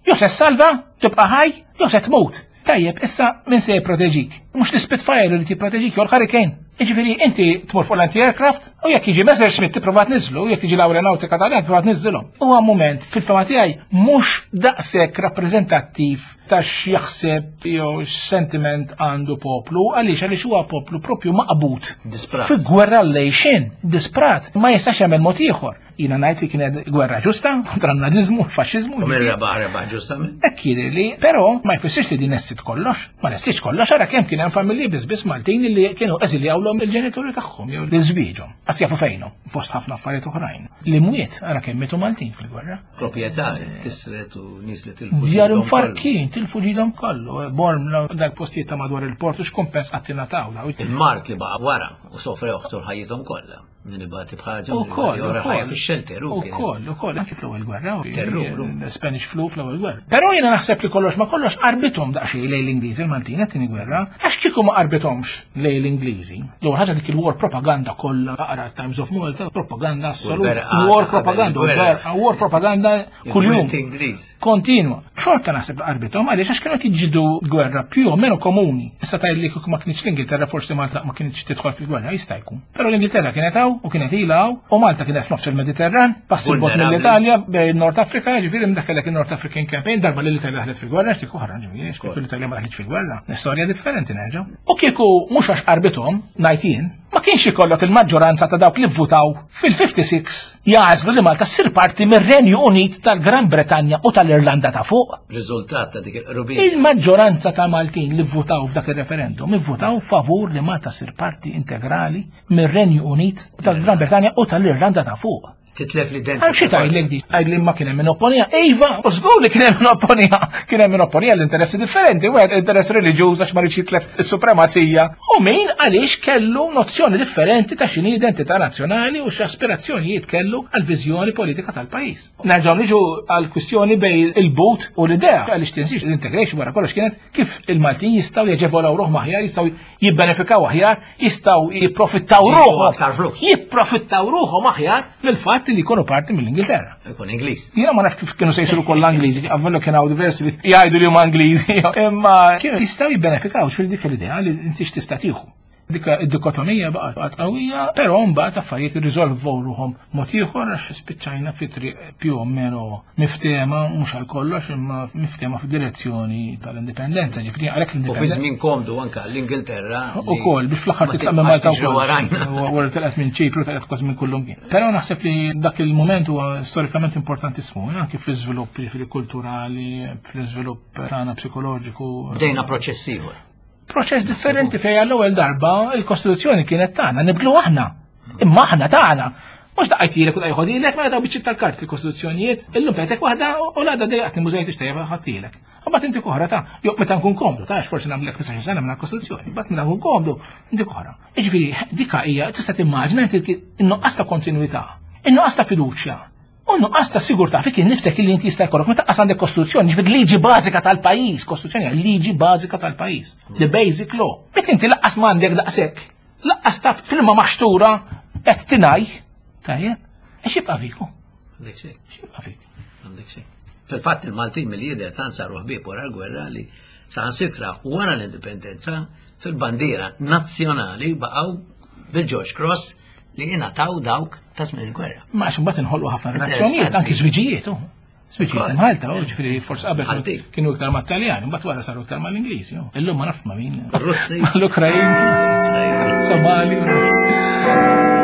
Jew se salva, tibqa' ħaj, jew se tmut. Tajjeb, issa min se jipproteġik? Mhux l-Spitfire li tipproteġik jew l-Hurricane. Jiġifieri inti tmur fuq l-anti-aircraft u jekk jiġi Messerschmitt tipprova tniżlu, jekk tiġi l-aeronautika tal tipprova tniżżilhom. Huwa mument fil-fema tiegħi mhux daqshekk rappreżentattiv ta' x'jaħseb jew x'sentiment għandu poplu, għaliex għaliex huwa poplu propju maqbud. Disprat. Fi gwerra lejxin, disprat, ma jistax jagħmel mod ieħor. Jiena ngħid li kienet gwerra ġusta kontra n-naziżmu, l-faxxiżmu. U min rebaħ rebaħ ġustament. Hekk jidhirli, però ma jfissirx li din nessit kollox. Ma nessitx kollox, ara kemm kien hemm familji biss biss Maltin li kienu eżiljawlhom il-ġenituri tagħhom jew li żwieġhom. Qas jafu fejnhom, fost ħafna affarijiet oħrajn. Li mwiet, ara kemm mietu Maltin fil-gwerra. Proprjetà kisret u nies li tilfu. Djar ġidhom kollu. infarkin, tilfu ġidhom kollu, Bormla, dal-postijiet ta' madwar il-port u x'kumpens qatt ingħataw daw. Il-mart li baqa' wara u sofrew tul ħajjithom kollha. Min ibati bħaġa, min Ukoll, ibati oħra ħajja ukoll. fix-xelter u kien. Ukoll, ukoll, anki fl-ewwel gwerra. Terrur, u. Spanish flu fl-ewwel gwerra. Però jiena naħseb li kollox ma kollox qarbithom daqsxejn lejn l-Ingliżi il-Maltin qed gwerra, għax kieku ma qarbithomx lejn l-Ingliżi. L-ewwel ħaġa dik il-war propaganda kollha, aqra Times of Malta, propaganda assoluta. l-berqa War ta' qabel propaganda, il-gwerra. berqa, war propaganda kuljum. Il-wirt Ingliż. Kontinwa. Xorta naħseb li qarbithom għaliex għax kienu qed jiġġieldu gwerra più o meno komuni. Issa tgħid li kieku ma kienx l-Ingilterra forsi Malta ma kienx tidħol fil-gwerra, jista' jkun. Però l-Ingilterra kienet hawn u kienet ilha hawn u Malta kienet f'nofs il-Mediterran, passi bot Vulnerabbli. mill-Italja bejn Nord Afrika, ġifieri minn dak kellek il-North African Campaign darba li l-Italja daħlet fil-gwerra, x'tik oħra, ġifieri, kieku l-Italja ma daħlitx fil-gwerra. L-istorja differenti nerġa'. U kieku mhux għax qarbithom, ngħid jien, ma kienx ikollok il-maġġoranza ta' dawk li vvutaw fil-56 jagħżlu li Malta ssir parti mir-Renju Unit tal-Gran Bretanja u tal-Irlanda ta' fuq. Riżultat ta' dik il-qrubija. Il-maġġoranza ta' Maltin li vvutaw f'dak il-referendum ivvutaw favur li Malta ssir parti integrali mir-Renju Unit tal-Gran Bretanja u tal-Irlanda ta' fuq. Titlef l-identità. Għal xi tgħidlek di? Għajd li ma kien hemm min opponija. Iva, u żgur li kien hemm min opponija. Kien hemm min opponija l-interessi differenti, wieħed interess reliġjuż għax ma rridx jitlef is-supremazija. U min għaliex kellu nozzjoni differenti ta' x'inhi identità nazzjonali u x'aspirazzjonijiet kellu għal viżjoni politika tal-pajjiż. Nerġgħu niġu għal kwistjoni bejn il-but u l-idea għaliex tinsiex l-integration wara kollox kienet kif il-Maltin jistgħu jaġevolaw ruħhom aħjar, jistgħu jibbenefikaw aħjar, jistgħu jipprofittaw Ġibu ruħhom. aktar flus. Jipprofittaw ruħhom aħjar mill-fatt li jkunu parti mill-Ingilterra. Ikun Ingliż. Jiena ma nafx kif kienu se jsiru kollha Ingliżi, għavvellu kien hawn diversi li jgħidu li huma Ingliżi, imma kienu jistgħu jibbenefikaw fil dik l-idea li inti x'tista' tieħu. Dik id-dikotomija baqgħet qawwija, però mbagħad affarijiet irriżolvu ruħhom mod ieħor għax spiċċajna fi triq più o meno miftema mhux għal kollox imma miftema f'direzzjoni tal-indipendenza, ġifieri għalhekk U fi l-indipendenza. żmien komdu anka l-Ingilterra. U kol, biex fl-axar ma titlaq minn tibqax Malta tiġri warajna. u Wara telqet minn Ċipru, telqet kważi minn kullum kien. Però naħseb li dak il-moment huwa storikament importantissimu, eh, anki fl-iżvilupp jiġifieri kulturali, fl-iżvilupp tagħna psikoloġiku. Bdejna proċess ieħor. Proċess differenti fejn għall-ewwel darba il-Kostituzzjoni kienet tagħna, nibdlu aħna. Imma aħna tagħna. Mhux daqajtilek u daqajħodilek, mela daw biċċiet tal-kart il-Kostituzzjonijiet, illum tajtek waħda u l-għada dejjaqt mużejt ixtejjeb ħadtilek. Mbagħad inti oħra ta' jew meta nkun komdu, ta' forsi nagħmlek 19 sena minn kostituzzjoni, mbagħad meta nkun komdu inti oħra. Jiġifieri dika hija tista' timmaġina inti in-nuqqas ta' kontinwità, in-nuqqas ta' fiduċja, u nuqqas ta' sigurtà fik innifsek illi inti jista' jkollok meta qas għandek kostituzzjoni, ġifieri liġi bażika tal-pajjiż, kostituzzjoni hija liġi bażika tal-pajjiż, the basic law. Meta inti laqqas m'għandek daqshekk, laqqas taf filma maxtura qed tingħaj, tajjeb, għax jibqa' fiku, Għandek xejn. x'jibqa' fik. Għandek xejn. Fil-fatt il-Maltin mill-jider tant saru ħbieb wara l-gwerra li saħansitra wara l-indipendenza fil-bandiera nazzjonali baqgħu bil-George Cross li ingħataw dawk ta' żmien il-gwerra. Ma għax imbagħad inħolqu ħafna relazzjonijiet, Interessanti. anki żwiġijiet, u. Żwiġijiet Ukoll. Malta, u ġifieri forsi qabel Malti. kienu iktar mat-Taljani, mbagħad wara saru iktar mal-Ingliżi. u. Illum ma naf ma' min. Russi. Mal-Ukrajin, Somali. ma nafx.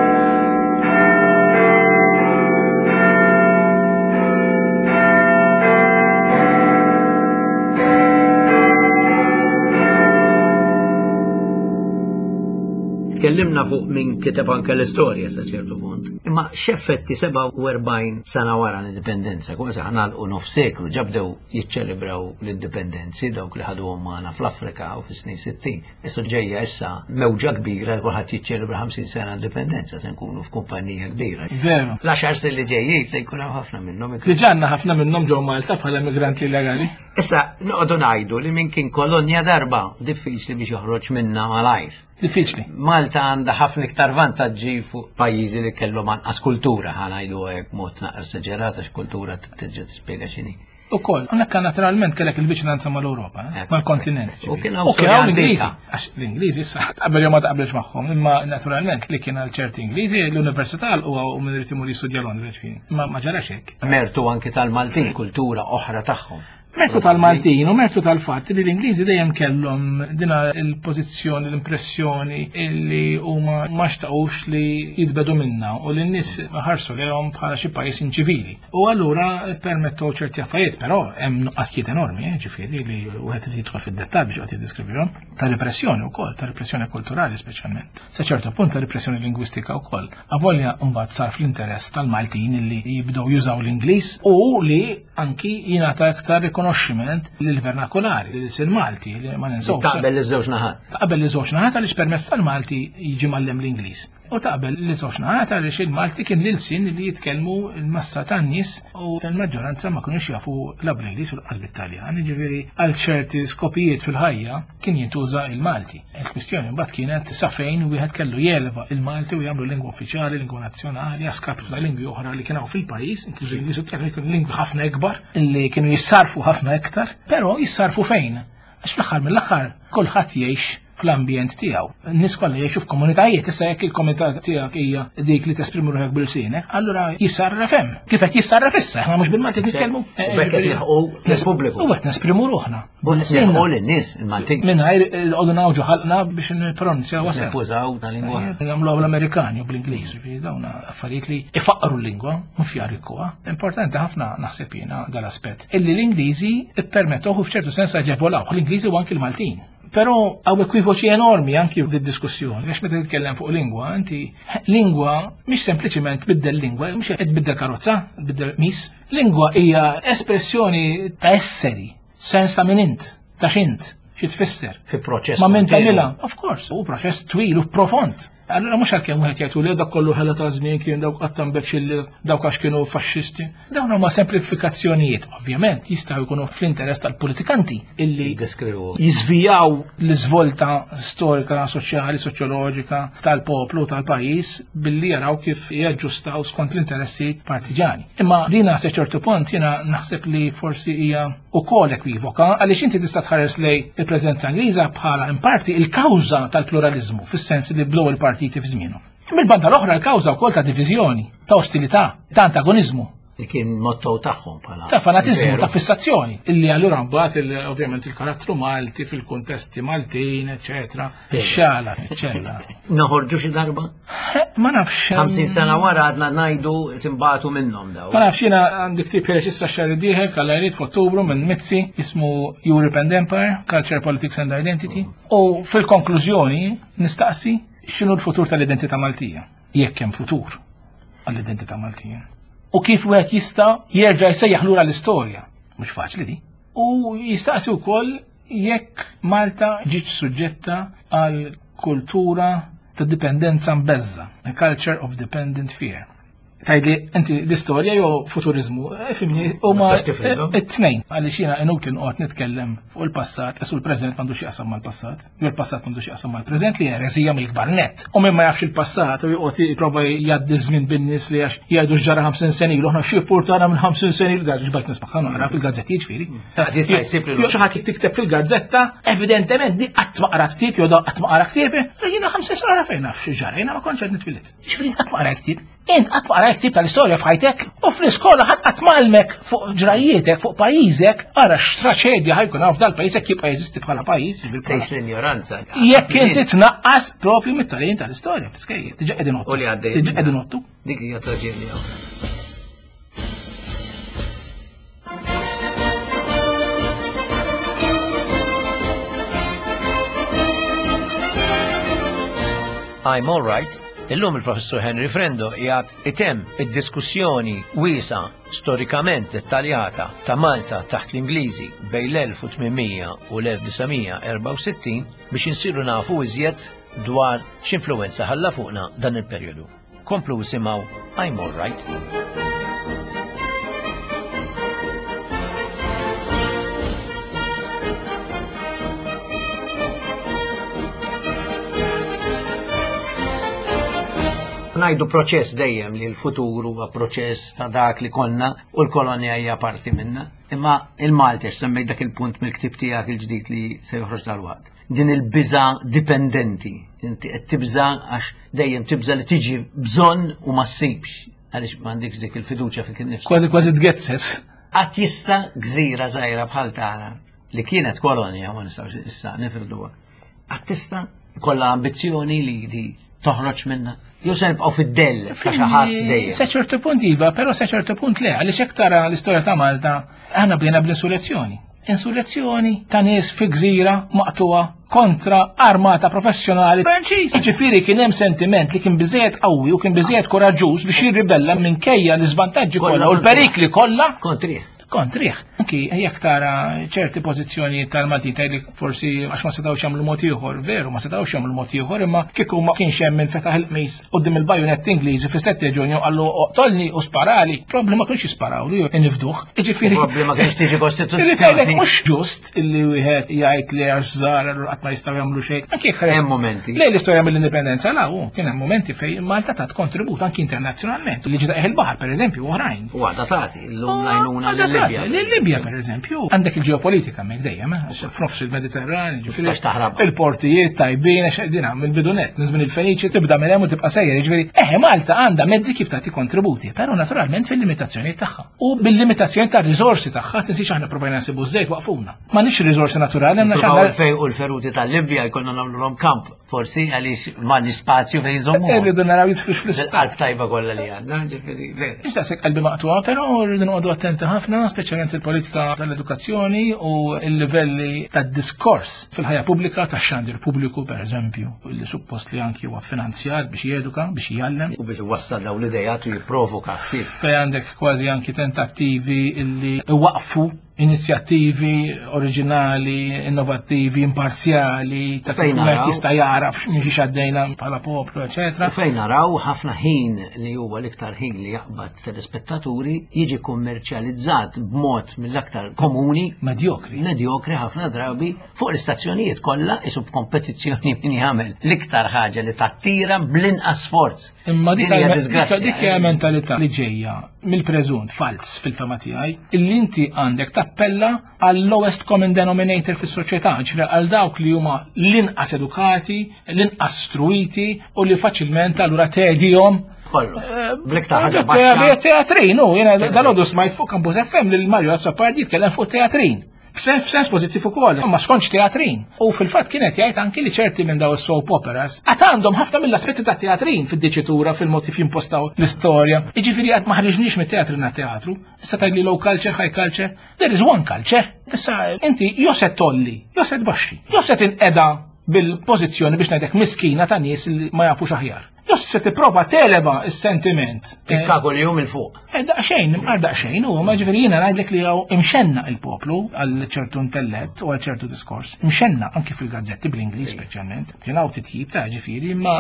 Tkellimna fuq min kiteb anke l-istorja sa ċertu punt. Imma x'effetti 47 sena wara l-indipendenza, kważi ħanalqu nof seklu ġabdew jiċċelebraw l-indipendenzi dawk li ħaduhom magħna fl-Afrika u fis-snin 60. Issa ġejja issa mewġa kbira kulħadd jiċċelebra 50 sena indipendenza se nkunu f'kumpanija kbira. Veru. L-għaxar snin li ġejjin se jkun hemm ħafna minnhom. Diġà għandna ħafna minnhom ġew Malta bħala immigranti illegali. Issa noqogħdu ngħidu li min kien kolonja darba diffiċli biex joħroġ minna malajr. Diffiċli. Malta għandha ħafna iktar vantaġġi fuq pajjiżi li kellhom anqas kultura, ħa ngħidu hekk mod naqra esaġerata x'kultura tiġi tispjega x'inhi. U koll, hawnhekk naturalment kellek il-viċinanza mal-Ewropa, eh, Ekk. mal-kontinent. U kien hawn U kien hawn storja l-Ingliżi. antika. Għax l-Ingliżi issa taqbel jew ma taqbelx magħhom, imma naturalment li kien għal ċerti Ingliżi l-università huwa u min irid imur jistudja Londra ġifieri. Ma ma ġarax hekk. Mertu anki tal-Maltin, kultura oħra tagħhom. Mertu tal-Maltin u mertu tal-fatt li l-Ingliżi dejjem kellhom dina il-pożizzjoni, l-impressjoni illi huma ma xtaqux li jitbedu minna u li n-nies ħarsu lejhom bħala xi pajjiż inċivili. U allura permettew ċerti affarijiet, però hemm nuqqasijiet enormi, eh, ġifieri li wieħed irid jidħol fid-dettall biex joqgħod jiddeskrivihom, ta' repressjoni wkoll, ta' repressjoni kulturali speċjalment. Sa ċertu punt ta' repressjoni lingwistika wkoll. Avolja mbagħad sar fl-interess tal-Maltin li jibdew jużaw l-Ingliż u li anki jingħata iktar rikonoxximent lill-vernakulari, lil-sin Malti, li ma ninsewx. Taqbel iż-żewġ naħat. Taqbel li żewġ naħat għaliex permezz tal-Malti jiġi mallem l-Ingliż. U taqbel li żewġ naħat għaliex il-Malti kien l-ilsien li jitkellmu l-massa tan-nies u l-maġġoranza ma kinux jafu la bl-Ingliż u lanqas bit-Taljan. Jiġifieri għal ċerti skopijiet fil-ħajja kien jintuża il-Malti. Il-kwistjoni mbagħad kienet sa fejn wieħed kellu jeleva il-Malti u jagħmlu lingwa uffiċjali, lingwa nazzjonali, għaskapitu ta' lingwi oħra li kienu fil-pajjiż, inkluż l-Ingliż u t-Taljan kienu lingwi ħafna ikbar illi kienu jissarfu ħafna iktar, però jissarfu fejn? Għax fl-aħħar mill-aħħar kulħadd jgħix fl-ambjent tiegħu. N-nies kollha jgħixu f'komunitajiet, issa jekk il-komunità tiegħek hija dik li tesprimi ruħek bil-sinek, allura jissarraf hemm. Kif qed jissarraf issa, aħna mhux bil-Malti qed nitkellmu. U bekk qed nilħqu lill-pubbliku. U qed nesprimu ruħna. U nilħqu lin-nies il-Maltin. Mingħajr qogħdu nawġu ħalqna biex nippronunzjaw sew. Nippużaw ta' lingwa. Nagħmluha bl-Amerikani u bl-Ingliż, jiġifieri dawn affarijiet li ifaqru l-lingwa, mhux jarrikkuha. Importanti ħafna naħseb jiena dal-aspett. Illi l-Ingliżi ippermettuh u f'ċertu sens aġevolawh l-Ingliżi u anki l-Maltin. Però hawn ekwivoċi enormi anki f'did-diskussjoni, għax meta titkellem fuq lingwa, inti lingwa mhix sempliċiment tbiddel lingwa, mhux qed tbiddel karozza, tbiddel mis. Lingwa hija espressjoni ta' esseri, sens ta' min int, ta' x'int, xi tfisser. Fi proċess. Ma' min tagħmilha, of course, u proċess twil u profond. Allura mhux għalkemm wieħed jgħid li dak kollu ħela ta' żmien kien dawk qatt imbeċilli dawk għax kienu faxxisti. Dawn huma semplifikazzjonijiet, ovvjament jistgħu jkunu fl-interess tal-politikanti illi jiżvijaw l-iżvolta storika, soċjali, soċjoloġika tal-poplu tal-pajjiż billi jaraw kif jaġġustaw skont l-interessi partiġani. Imma dina se ċertu punt jiena naħseb li forsi hija ukoll ekwivoka għaliex inti tista' tħares lej il-preżenza Ingliża bħala in parti il-kawża tal-pluralizmu fis-sens li bdew il-partiti fi żmienhom. Mill-banda l-oħra l-kawża wkoll ta' diviżjoni, ta' ostilità, ta' antagoniżmu. Li kien motto tagħhom bħala. Ta' fanatiżmu, ta' fissazzjoni, illi allura mbagħad ovvjament il-karattru Malti fil-kuntesti Maltin, eċetera, xala, ċella. Noħorġu xi darba? Ma nafx. 50 sena wara għadna ngħidu timbatu minnhom daw. Ma nafx jiena għandi ktieb ħiereġ issa x-xahar id-dieħel kalla jrid f'Ottubru minn Mizzi jismu Europe and Empire, Culture, Politics and Identity. U fil-konklużjoni nistaqsi x'inhu l-futur tal-identità Maltija, jekk hemm futur għall-identità Maltija. U kif wieħed jista' jerġa' jsejjaħ lura l-istorja. Mhux faċli di. U jistaqsi wkoll jekk Malta ġietx suġġetta għal kultura ta' dipendenza mbeżża, a culture of dependent fear. Tgħidli inti l-istorja jew futurizmu, eh, fimni, huma it-tnejn, għaliex jiena inutli noqgħod nitkellem fuq il-passat, isu l-preżent m'għandux jaqsam mal-passat, jew il-passat m'għandux jaqsam mal-preżent li ereżija mill-kbar net. U min ma jafx il-passat u joqgħod jipprova jgħaddi żmien bin-nies li għax jgħidu x'ġara 50 sena ilu, aħna xi portana minn 50 sena ilu, ġbajt nismagħha naqra fil-gazzetti jiġifieri. Jista' jsib li xi ħadd tikteb fil-gazzetta, evidentement di qatt ma qrat ktieb jew qatt ma qara ktieb, jiena 50 sena fejn naf xi ġara, jiena ma kontx qed nitwieled. Ġifieri qatt ma qrajt ktieb. Int qatt ma qrajt ktieb tal-istorja f'ħajtek u fl-iskola ħadd qatt m'għallmek fuq ġrajjietek, fuq pajjiżek, ara x'traċedja ħajkun hawn f'dal-pajjiż jekk jibqa' jeżisti bħala pajjiż. Tgħix l-injoranza. Jekk inti tnaqqas propju mit-tagħlim tal-istorja fl-iskejjel. Diġà qegħdin U li għaddej. Diġà qegħdin ottu. Dik hija traġedja oħra. I'm all right. Illum il-Professur Henry Frendo jgħat item id-diskussjoni wiesa storikament dettaljata ta' Malta taħt l-Ingliżi bejn l-1800 u l-1964 biex insiru nafu iżjed dwar x'influwenza ħalla fuqna dan il-perjodu. Komplu isimgħu I'm All Right. Najdu proċess dejjem li l-futur huwa proċess ta' dak li konna u l-kolonja hija parti minna. Imma il-Malti semmejt dak il-punt mill-ktib tiegħek il-ġdid li se joħroġ dal-waqt. Din il-biża dipendenti. Inti qed tibża għax dejjem tibża li tiġi bżonn u ma ssibx għaliex m'għandekx dik il-fiduċja fik innifsek. Kważi kważi tgezzet. Qatt jista' gżira żgħira bħal tagħna li kienet kolonja ma nistgħux issa nifirduha. Qatt tista' jkollha ambizzjoni li li toħroġ minna. Jew se nibqgħu fid-dell ta' xi ħadd dejjem. Sa ċertu punt iva, però sa ċertu punt le, għaliex hekk tara l-istorja ta' Malta, aħna bdejna bl-insurrezzjoni. Insurrezzjoni ta' nies fi gżira maqtuha kontra armata professjonali Franċiż. Ġifieri kien hemm sentiment li kien biżejjed qawwi u kien biżejjed koraġġuż biex jirribella minkejja l-iżvantaġġi kollha u l-perikli kollha. Kontrih. Kontrih. Anki jekk tara ċerti pożizzjonijiet tal-Maltin tgħidli forsi għax ma setgħux jagħmlu mod ieħor, veru ma setgħux jagħmlu mod ieħor, imma kieku ma kienx hemm min fetaħ il-qmis quddiem il-bajonett Ingliżi fis-7 Ġunju qallu oqtolni u sparali, probabbli ma kienx jisparawlu jew inifduh. Jiġifieri Probabbli ma kienx tiġi kostituzzjoni. Mhux ġust illi wieħed jgħid li għax żgħar allura qatt ma jistgħu jagħmlu xejn. Anki jekk Hemm momenti. Lej l-istorja mill-indipendenza la hu kien hemm momenti fejn Malta tat kontribut anki internazzjonalment. Li ġita il-baħar pereżempju oħrajn. U għadha tagħti llum l-għajnuna lil-Libja. Lil-Libja pereżempju. Għandek il-ġeopolitika hemmhekk dejjem, eh, f'nofs il-Mediterran, Tistax taħrab. Il-portijiet tajbin, għax qegħdin mill-bidunet, minn żmien il-Feniċi tibda minn hemm u tibqa' sejjer, jiġifieri, eħe Malta għandha mezzi kif tagħti kontributi, però naturalment fil-limitazzjonijiet tagħha. U bil-limitazzjoni tar-riżorsi tagħha, tinsiex aħna provajna nsibu żejt waqfuna. M'għandniex riżorsi naturali, għandna xi Fejn u l-feruti tal-Libja jkollna nagħmluhom kamp, forsi għaliex m'għandniex spazju fejn nżommu. Irridu naraw jidħlux fl Il-qalb tajba kollha li għandna, ġifieri. Mhux daqshekk qalbi maqtuha, però rridu noqogħdu attenti ħafna. speċjalment il-politika tal-edukazzjoni u l-livelli tad-diskors fil-ħajja pubblika, tax-xandir pubbliku, per eżempju, li suppost li anki huwa finanzjat biex jeduka, biex jgħallem. U biex iwassal dawn l-idejat u jipprovoka ħsieb. Fejn għandek kważi anki tentattivi illi iwaqfu inizjattivi oriġinali, innovattivi, imparzjali, ta' kif Fejn wieħed naraw? jista' jaraf minn xiex għaddejna bħala poplu, eċetera. U fejn naraw ħafna ħin li huwa l-iktar ħin li jaqbad telespettaturi jiġi kummerċjalizzat b'mod mill-aktar komuni Medjokri. medjokri ħafna drabi fuq l-istazzjonijiet kollha isu b'kompetizzjoni min jagħmel l-iktar ħaġa li tattira bl-inqas sforz. Imma dik Din hija hija disgrazzja. dik hija mentalità li ġejja mill-preżunt falz fil-fema tiegħi illi inti għandek tappella għal lowest common denominator fis-soċjetà, ġifieri għal dawk li huma l-inqas edukati, l-inqas struiti u li faċilment allura tgħidihom Kollox. Bl-iktar ħaġa baxxa. Teatrin, u jena dal-għodu smajt fuq Campus FM lil Mario Azzopardi jitkellem fuq teatrin. F'sens pozittiv ukoll, ma skontx teatrin. U fil-fatt kienet jgħid anki li ċerti minn daw is-soap operas għad għandhom ħafna mill-aspetti ta' teatrin fid-diċitura, fil-mod kif jimpostaw l-istorja. Jiġifieri qatt ma ħriġniex mit-teatrin għat-teatru. Issa tgħidli low culture, high culture. There is one culture. Issa inti jew se tolli, jew se tbaxxi, jew se tinqeda bil-pożizzjoni biex ngħidlek miskina ta' nies li ma jafux aħjar. Jew se tipprova televa s-sentiment. Tikkaku li jum il-fuq. Daqxejn, imqar daqxejn, u ma ġifieri jiena ngħidlek li hawn imxenna il-poplu għal ċertu intellett u għal ċertu diskors. Imxenna anki fil-gazzetti bl-Ingliż speċjalment. Kien hawn titjib ta' ġifieri ma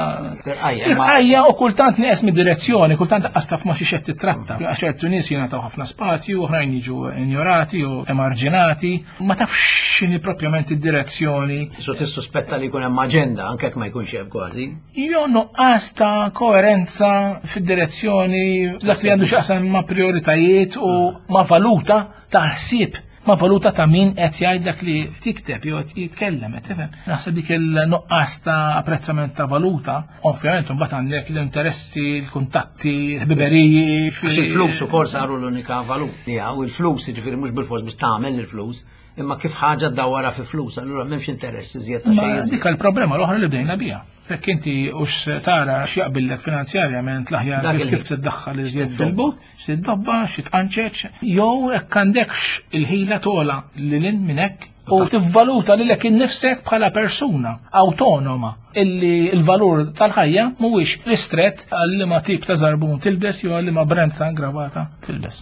Irqajja, ma- Irqajja u kultant nieqes mid-direzzjoni, kultant lanqas taf ma xiex qed titratta. Għax ċertu nies jingħataw ħafna spazju, oħrajn jiġu injorati u emarġinati, ma tafx x'inhi propjament id-direzzjoni. So tissuspetta li jkun hemm aġenda anke jekk ma jkunx hemm kważi. Jo nuqqas ta' koerenza fid-direzzjoni dak li għandu x'jaqsam ma' prioritajiet u ma' valuta ta' ħsieb, ma' valuta ta' min qed jgħid dak li tikteb jew qed jitkellem, qed tifhem. Naħseb dik il-nuqqas ta' apprezzament ta' valuta, ovvjament imbagħad għandek l-interessi, l-kuntatti, l-ħbiberiji. Għax il-flus ukoll saru l-unika valut. Ja, u l-flus jiġifieri mhux bil-fors biex tagħmel il-flus, imma kif ħaġa ddawwarha fi flus, allura m'hemmx interess iżjed ta' Ma xejn iżjed. dik il-problema l-oħra li bdejna biha. Jekk inti hux tara x'jaqbillek finanzjarjament l-aħjar Dak kif il-ħin. kif tiddaħħal iżjed fil-but, x'tiddobba, x'tqanċeċ, jew hekk għandekx il-ħila tola lil hinn minn hekk u tivvaluta lilek innifsek bħala persuna awtonoma illi l-valur tal-ħajja mhuwiex ristret għal liema tip ta' żarbun tilbes jew għal liema brand ta' ingravata tilbes.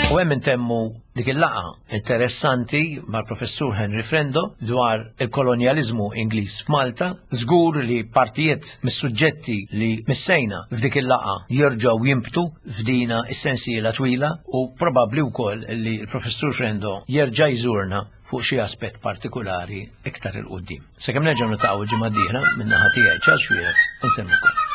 U hemm intemmu dik il-laqgħa interessanti mal-professur Henry Frendo dwar il-kolonjaliżmu Ingliż f'Malta. Żgur li partijiet mis-suġġetti li missejna f'dik il-laqgħa jerġgħu jinbtu f'dina is-sensiela twila u probabbli wkoll li l-professur Frendo jerġa' jżurna fuq xi aspett partikulari iktar 'il quddiem. Sakemm nerġgħu niltaqgħu l-ġimgħa d-dieħla min-naħa tiegħi Charles Xuereb, insemmikom.